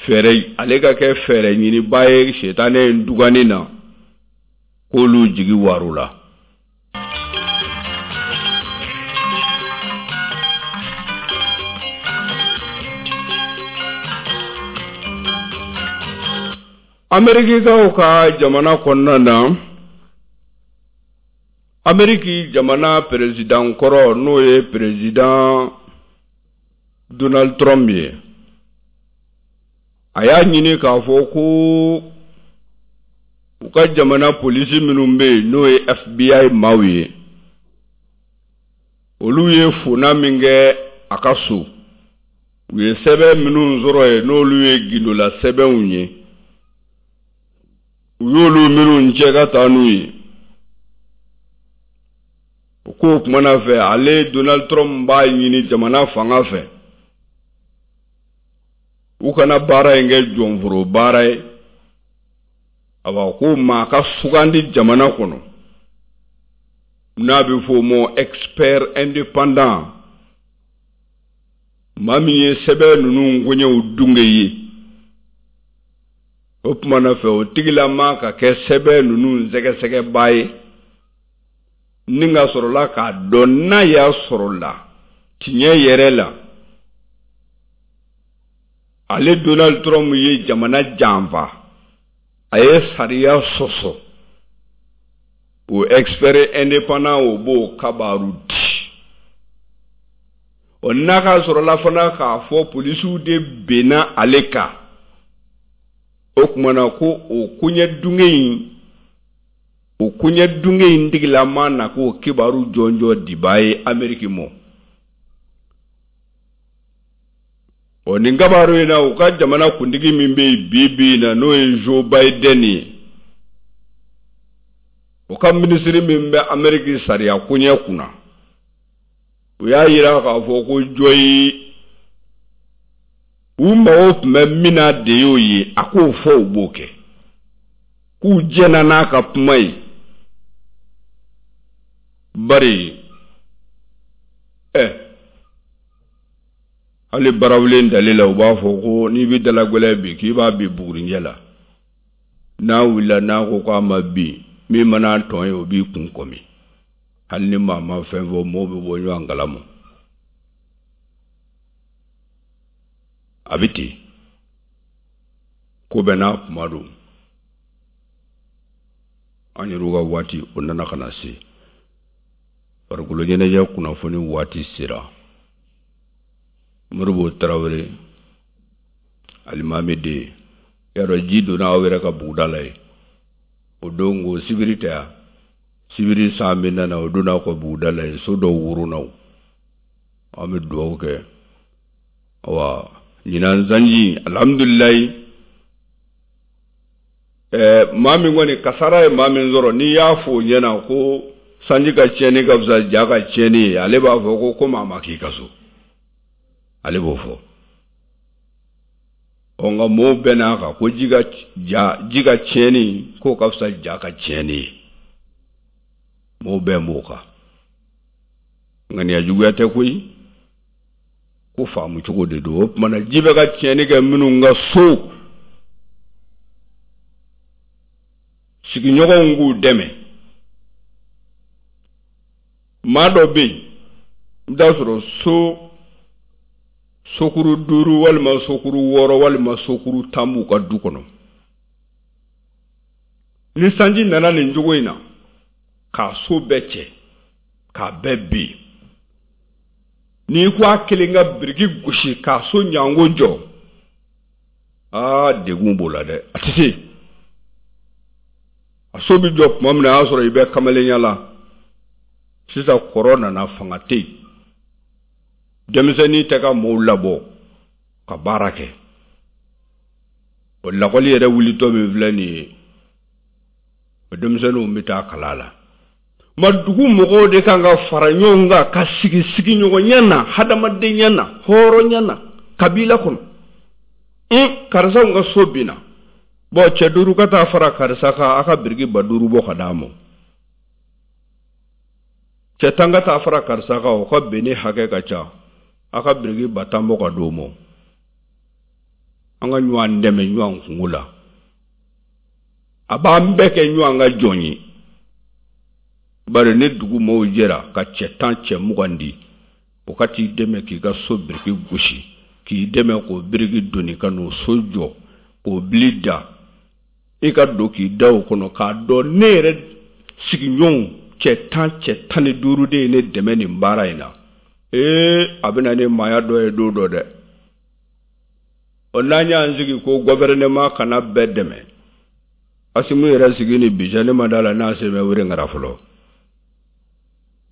fɛɛrɛ ale ka kɛ fɛɛrɛ ɲinibaa ye sitanɛ in duganni na, k'olu jigi warula. Amerikikaw ka jamana kɔnɔna na, Ameriki jamana perezidan kɔrɔ, n'o ye perezidan Donald Trump ye, a y'a ɲini k'a fɔ ko u ka jamana polisi minnu bɛ yen, n'o ye FBI maaw ye, olu ye fona min kɛ a ka so, u ye sɛbɛn minnu sɔrɔ yen, n'olu ye gindola sɛbɛnw ye, u y'olu minnu cɛ ka taa n'u ye. O ko o kumana fɛ, ale Donald Trump b'a ɲini jamana fanga fɛ, u kana baara in kɛ jɔnforo baara ye. Awa, ko maa ka sugandi jamana kɔnɔ n'a bɛ fɔ o ma expert indépendant, maa min ye sɛbɛn ninnu koɲɛw dunge ye, o tuma na fɛ o tigilama ka kɛ sɛbɛn ninnu sɛgɛsɛgɛbaa ye, ni ka sɔrɔla k'a dɔn n'a y'a sɔrɔ la tiɲɛ yɛrɛ la ale Donald Trump ye jamana janfa, a ye sariya sɔsɔ. O expert indépendant o b'o kabaru di. O n'a ka sɔrɔla fana k'a fɔ polisiw de benna ale kan, o tuma na ko o koɲɛ dunge in, o koɲɛ dunge in tigilama na k'o kibaru jɔnjɔn dibaa ye Ameriki mɔ. Ɔ nin kibaru in na, u ka jamana kuntigi min bɛ yen bi bi in na, n'o ye Joe Biden ye, o ka minisiri min bɛ Ameriki sariya koɲɛ kunna, u y'a jira k'a fɔ ko jɔyi u mago tun bɛ min na de y'o ye, a k'o fɔ u b'o kɛ, k'u jɛnna n'a ka kuma ye. Bari ɛ hali barawulen dali la, u b'a fɔ ko n'i bɛ dalagɛlɛn bin, k'i b'a bin bugurinjɛ la, n'a wulila n'a ko k'a ma bin, min mana tɔn ye o b'i kun kɔmi. Hali ni maa ma fɛn fɔ, mɔgɔw bɛ bɔ ɲɔgɔn kalama, a bɛ ten. Ko bɛɛ n'a kuma don. An yɛrɛw ka waati o nana ka na se, farikolo ɲɛnajɛ kunnafoni waati sera. Moribo Tarawele, alimami den, y'a dɔn ji donna aw yɛrɛ ka buguda la yen o don, ko sibiri tɛ yan, sibiri san min nana, o donna aw ka buguda la yen, so dɔw woronna. An bɛ dugawu kɛ. Awa, ɲinan sanji, alhamdulilayi. Ɛɛ, maa min kɔni kasara ye maa min sɔrɔ, n'i y'a fɔ o ɲɛna ko sanji ka tiɲɛni ka fisa ja ka tiɲɛni ye, ale b'a fɔ ko komi a ma k'i ka so, ale b'o fɔ. Ɔ nka mɔɔw bɛn'a kan ko ji ka tiɲɛni k'o ka fisa ja ka tiɲɛni ye. Mɔɔw bɛn b'o kan. Ŋaniya juguya tɛ koyi, ko faamu cogo de don. O tuma na ji bɛ ka tiɲɛni kɛ minnu ka so, sigiɲɔgɔnw k'u dɛmɛ. Maa dɔ bɛ yen, i bɛ t'a sɔrɔ so sokuru 5 walima sokuru 6 walima sokuru 10 b'u ka du kɔnɔ. Ni sanji nana nin cogo in na k'a so bɛɛ cɛ k'a bɛɛ bin, n'i ko a kelen ka biriki gosi k'a so ɲango jɔ, aa degun b'o la dɛ, a tɛ se. A so bɛ jɔ tuma min na, a y'a sɔrɔ i bɛ kamalenya la. Sisan kɔrɔ nana, fanga tɛ yen, denmisɛnnin tɛ ka mɔɔw labɔ ka baara kɛ. O lakɔli yɛrɛ wulitɔ min filɛ nin ye, o denmisɛnninw bɛ taa kalan la. Ma dugu mɔgɔw de kan ka fara ɲɔgɔn kan ka sigi sigiɲɔgɔnya na, hadamadenya na, hɔrɔnya na, kabila kɔnɔ. Karisa ka so binna, bɔn cɛ 5 ka taa fara karisa kan, a ka biriki 5000 bɔ ka d'a ma. Cɛ 10 ka taa fara karisa kan, o ka bɛnni hakɛ ka ca, a ka biriki 10 000 bɔ ka d'o ma. An ka ɲɔgɔn dɛmɛ ɲɔgɔn kungo la. A b'an bɛɛ kɛ ɲɔgɔn ka jɔn ye. Bari ni dugu mɔɔw jɛra ka cɛ 10 cɛ 20 di, o ka t'i dɛmɛ k'i ka so biriki gosi, k'i dɛmɛ k'o biriki doni ka n'o so jɔ, k'o bili da, i ka don k'i da o kɔnɔ k'a dɔn ne yɛrɛ sigiɲɔgɔnw cɛ 10 cɛ 15 de ye ne dɛmɛ nin baara in na. Ee, a bɛ na ni maaya dɔ ye don dɔ dɛ. O n'an y'an sigi ko gouvernement kana bɛɛ dɛmɛ, Asimu yɛrɛ sigi ni bi cɛ, ne ma da la n'a sen bɛ wele ŋara fɔlɔ.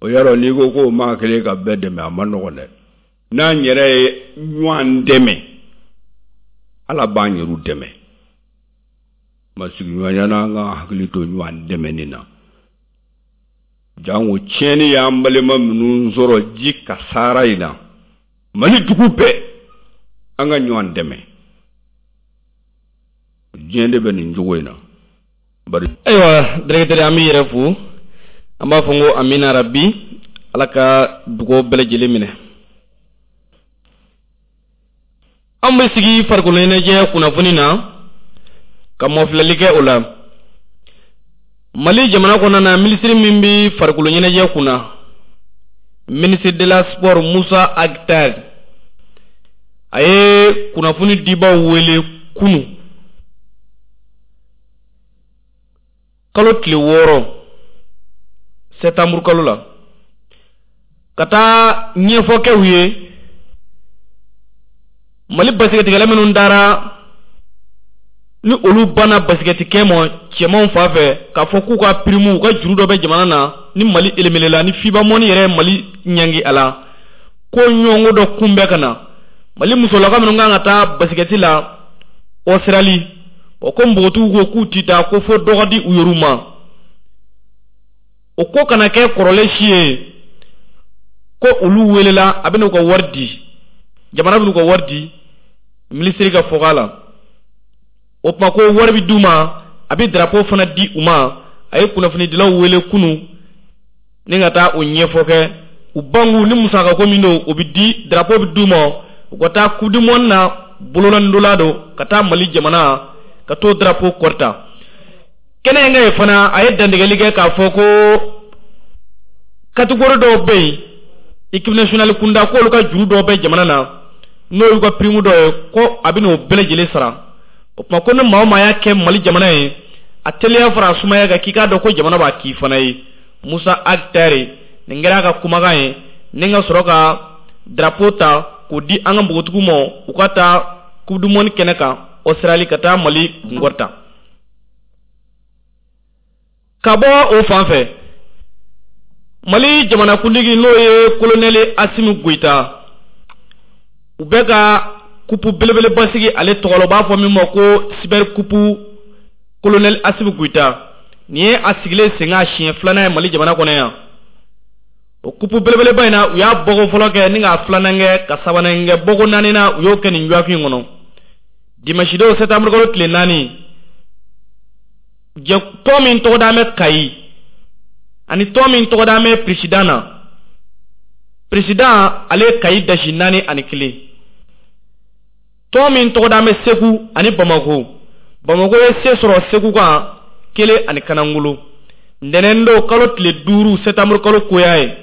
O yɔrɔ n'i ko k'o maa kelen ka bɛɛ dɛmɛ, a ma nɔgɔn dɛ. N'an yɛrɛ ye ɲɔgɔn dɛmɛ, Ala b'an yɛrɛw dɛmɛ. Ma sigiɲɔgɔnya n'an ka hakili to ɲɔgɔn dɛmɛni na. Jango tiɲɛni y'an balima minnu sɔrɔ ji kasaara in na, Mali dugu bɛɛ, an ka ɲɔgɔn dɛmɛ. Diɲɛ de bɛ nin cogo in na. Bari ayiwa directeur, an b'i yɛrɛ fo, an b'a fɔ n ko amina rabi, Ala ka dugawu bɛɛ lajɛlen minɛ. An bɛ sigi farikolo ɲɛnajɛ kunnafoni na ka mɔfilɛli kɛ o la. Mali jamana kɔnɔna na, minisiri min bɛ farikolo ɲɛnajɛ kunna, ministre de la sport Musa Ag Attaher, a ye kunnafoni dibaw wele kunu kalo tile 6 sɛtanburu kalo la ka taa ɲɛfɔ kɛ u ye Mali basikɛtikɛla minnu dara ni olu banna basikɛtikɛ ma cɛmanw fan fɛ, k'a fɔ k'u ka pirimu, u ka juru dɔ bɛ jamana na ni Mali elemelela ni FIBA mɔni yɛrɛ ye Mali ɲangi a la, ko ɲɔgɔnko dɔ kunbɛ ka na Mali musolaka minnu kan ka taa basikɛti la Australie, o ko npogotigiw ko k'u ti taa, ko fo dɔ ka di u yɛrɛw ma. O ko kana kɛ kɔrɔlen si ye ko olu welela, a bɛna u ka wari di, jamana bɛna u ka wari di, minisiri ka fɔka la. O tuma ko wari bɛ d'u ma, a bɛ drapeau fana di u ma. A ye kunnafonidilaw wele kunu ni ka taa o ɲɛfɔ kɛ u bangu ni musakako min don, o bɛ di, drapeau bɛ d'u ma, u ka taa coupe du monde na bololandola don ka taa Mali jamana ka t'o drapeau kɔrɔta. Kɛnɛ in kan yen fana, a ye dantigɛli kɛ k'a fɔ ko catégorie dɔw bɛ yen équipe nationale kunda, k'olu ka juru dɔw bɛ jamana na, n'o y'u ka prime dɔ ye, ko a bɛ n'o bɛɛ lajɛlen sara. O tuma ko ni maa o maa y'a kɛ Mali jamana ye, a teliya fara a sumaya kan, k'i k'a dɔn ko jamana b'a k'i fana ye. Musa Ag Attaher, nin kɛra a ka kumakan ye ni ka sɔrɔ ka drapeau ta k'o di an ka npogotigiw ma, u ka taa coupe du monde kɛnɛ kan Australie ka taa Mali kunkɔrɔta. Ka bɔ o fan fɛ, Mali jamanakuntigi n'o ye colonel Asimi Goyita, u bɛ ka kupu belebeleba sigi ale tɔgɔ la, u b'a fɔ min ma ko super coupe colonel Asimi Goyita. Nin ye a sigilen sen kan siɲɛ 2nan ye Mali jamana kɔnɔ yan. O kupu belebeleba in na, u y'a bɔko fɔlɔ kɛ ni k'a 2nan kɛ ka 3nan kɛ, bɔko 4nan u y'o kɛ nin dɔgɔkun in kɔnɔ. Dimanche don septembre kalo tile 4, tɔn min tɔgɔ dalen bɛ Kayi ani tɔn min tɔgɔ dalen bɛ président na, président ale ye Kayi dasi 4-1. Tɔn min tɔgɔ dalen bɛ Segu ani Bamako, Bamako ye se sɔrɔ Segu kan 1-0. Ntɛnɛn don kalo tile 5 septembre kalo koya ye.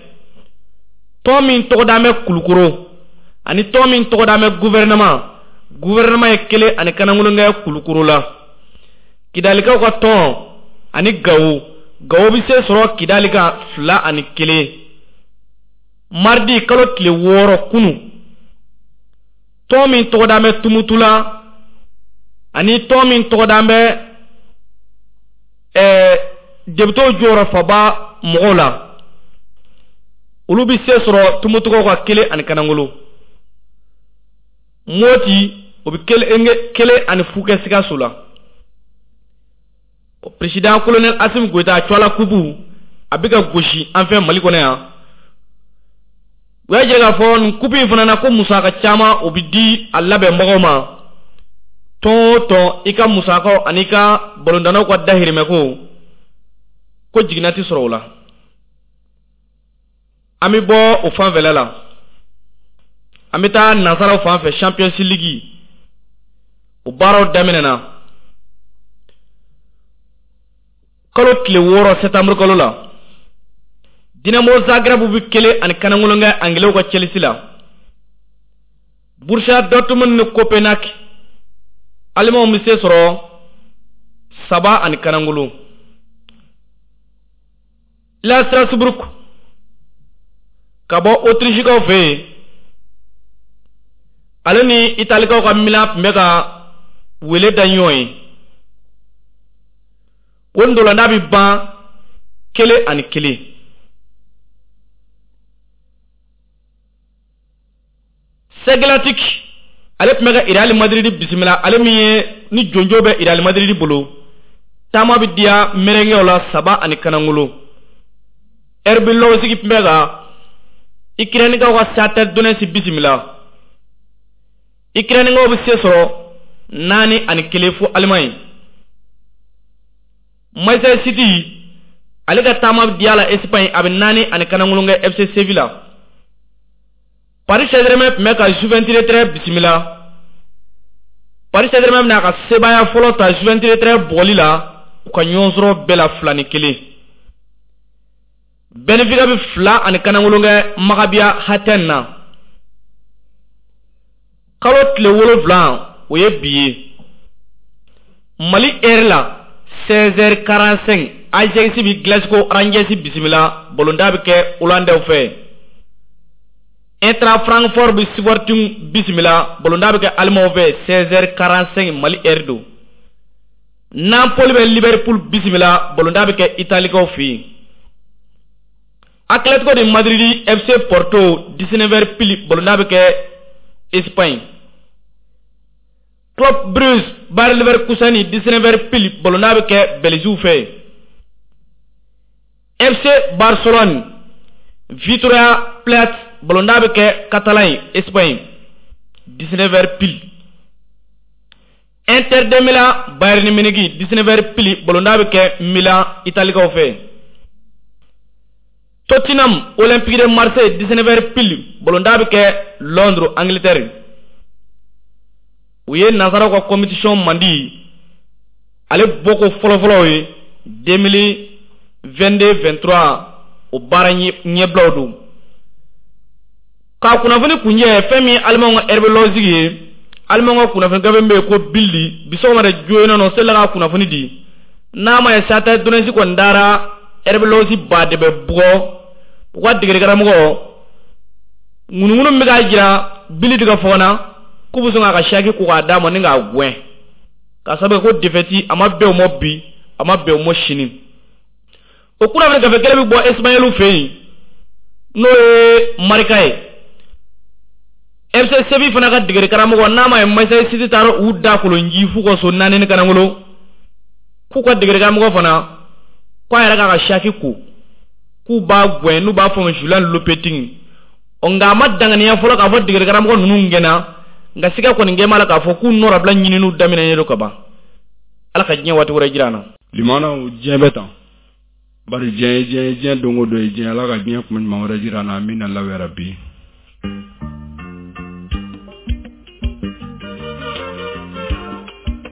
Tɔn min tɔgɔ dalen bɛ Kulukoro ani tɔn min tɔgɔ dalen bɛ gouvernement, gouvernement ye 1-0 kɛ Kulukoro la. Kidalikaw ka tɔn ani Gawo, Gawo bɛ se sɔrɔ Kidali kan 2-1. Mardi kalo tile 6 kunu, tɔn min tɔgɔ dalen bɛ Tumutu la ani tɔn min tɔgɔ dalen bɛ députéw jɔyɔrɔ faba mɔgɔw la, olu bɛ se sɔrɔ Tumutukaw ka 1-0. Moti o bɛ 1-0 kɛ Sikaso la. Président colonel Assimi Goïta Tchouala Kubu a bɛ ka gosi an fɛ Mali kɔnɔ yan. U y'a jira k'a fɔ nin kupu in fana na ko musaka caman o bɛ di a labɛnbagaw ma. Tɔn o tɔn i ka musakaw ani i ka balontannaw ka dahirimɛko ko jiginna tɛ sɔrɔ o la. An bɛ bɔ o fanfɛla la, an bɛ taa nansaraw fan fɛ Champions League o baaraw daminɛna kalo tile 6 septembre kalo la. Dinamo Zagreb bɛ 1-0 kɛ Angilɛw ka Chelsea la. Borussia Dortmund ni Copenhague Alimanw bɛ se sɔrɔ 3-0. La Strasbourg ka bɔ Autrichekaw fɛ yen, ale ni Italikaw ka Milan tun bɛ ka wele da ɲɔgɔn ye. O ntolantan bɛ ban 1-1. Celtic ale tun bɛ ka Real Madrid bisimila, ale min ye ni jonjo bɛ Real Madrid bolo. Taama bɛ diya merenguew la 3-0. RB Leipzig tun bɛ ka Ukrainekaw ka Shakhtar Donetsk bisimila. Ukrainekaw bɛ se sɔrɔ 4-1 fo Allemagne. Manchester City ale ka taama bɛ diya la Espagne, a bɛ 4-0 kɛ FC Sevilla. Paris Saint-Germain tun bɛ ka Juventus de Turin bisimila. Paris Saint-Germain bɛna a ka sebaaya fɔlɔ ta Juventus de Turin bugɔli la u ka ɲɔgɔn sɔrɔ bɛɛ la 2-1. Benfica bɛ 2-0 kɛ Maccabi Hatay na. Kalo tile 7 o ye bi ye. Mali heure la 16h45 Ajax bɛ Glasgow Rangers bisimila, balontan bɛ kɛ Hollandais fɛ. Eintracht Francfort bɛ Sporting bisimila, balontan bɛ kɛ Allemagne fɛ 16h45 Mali heure don. Napoli bɛ Liverpool bisimila, balontan bɛ kɛ Italikaw fɛ yen. Atlético de Madrid FC Porto 19h pile, balontan bɛ kɛ Espagne. Club Brugge Bayer Leverkusen 19h pile, balontan bɛ kɛ Belgique fɛ. FC Barcelone Victoria Plate balontan bɛ kɛ Catalogne Espagne 19h pile. Inter de Milan Bayern Munich 19h pile, balontan bɛ kɛ Milan Italikaw fɛ. Tottenham Olympique de Marseille 19h pile, balontan bɛ kɛ Londres Angleterre. U ye nansaraw ka compétition mandi ale bɔko fɔlɔfɔlɔ ye 2022-23 o baara ɲɛbilaw don. K'a kunnafoni kunjɛ fɛn min ye Alimanw ka RB Leipzig ye, Alimanw ka kunnafoni gafe min bɛ yen ko Bild bi sɔgɔma de joona nɔ selila ka kunnafoni di. N'a ma ye Shakhtar Donetsk kɔni taara RB Leipzig ba de bɛ bugɔ u ka degeli karamɔgɔ ŋunuŋunu min bɛ k'a jira Bild ka fɔ na k'u bɛ sɔn k'a ka saki ko k'a d'a ma ni k'a gɛn k'a sababu kɛ ko défaite a ma bɛn o ma bi, a ma bɛn o ma sini. O kunnafoni gafe kelen bɛ bɔ Espagnol fɛ yen n'o ye Marca ye. FC Seville fana ka degeli karamɔgɔ n'a ma ye Manchester City taara u da kolonji f'u ka so 4-0 k'u ka degeli karamɔgɔ fana k'a yɛrɛ k'a ka saki ko k'u b'a gɛn n'u b'a fɔ ma Julian Lopetegui. Ɔ nka a ma danganiya fɔlɔ k'a fɔ degeli karamɔgɔ ninnu gɛnna, Nka siga kɔni kɛn b'a la k'a fɔ k'u nɔrabila ɲininiw daminɛnen don ka ban. Ala ka diɲɛ waati wɛrɛ jira an na. Limanaw, diɲɛ bɛ tan, bari diɲɛ ye diɲɛ ye, diɲɛ don o don ye diɲɛ. Ala ka diɲɛ kuma ɲuman wɛrɛ jira an na. Amina law yarabi.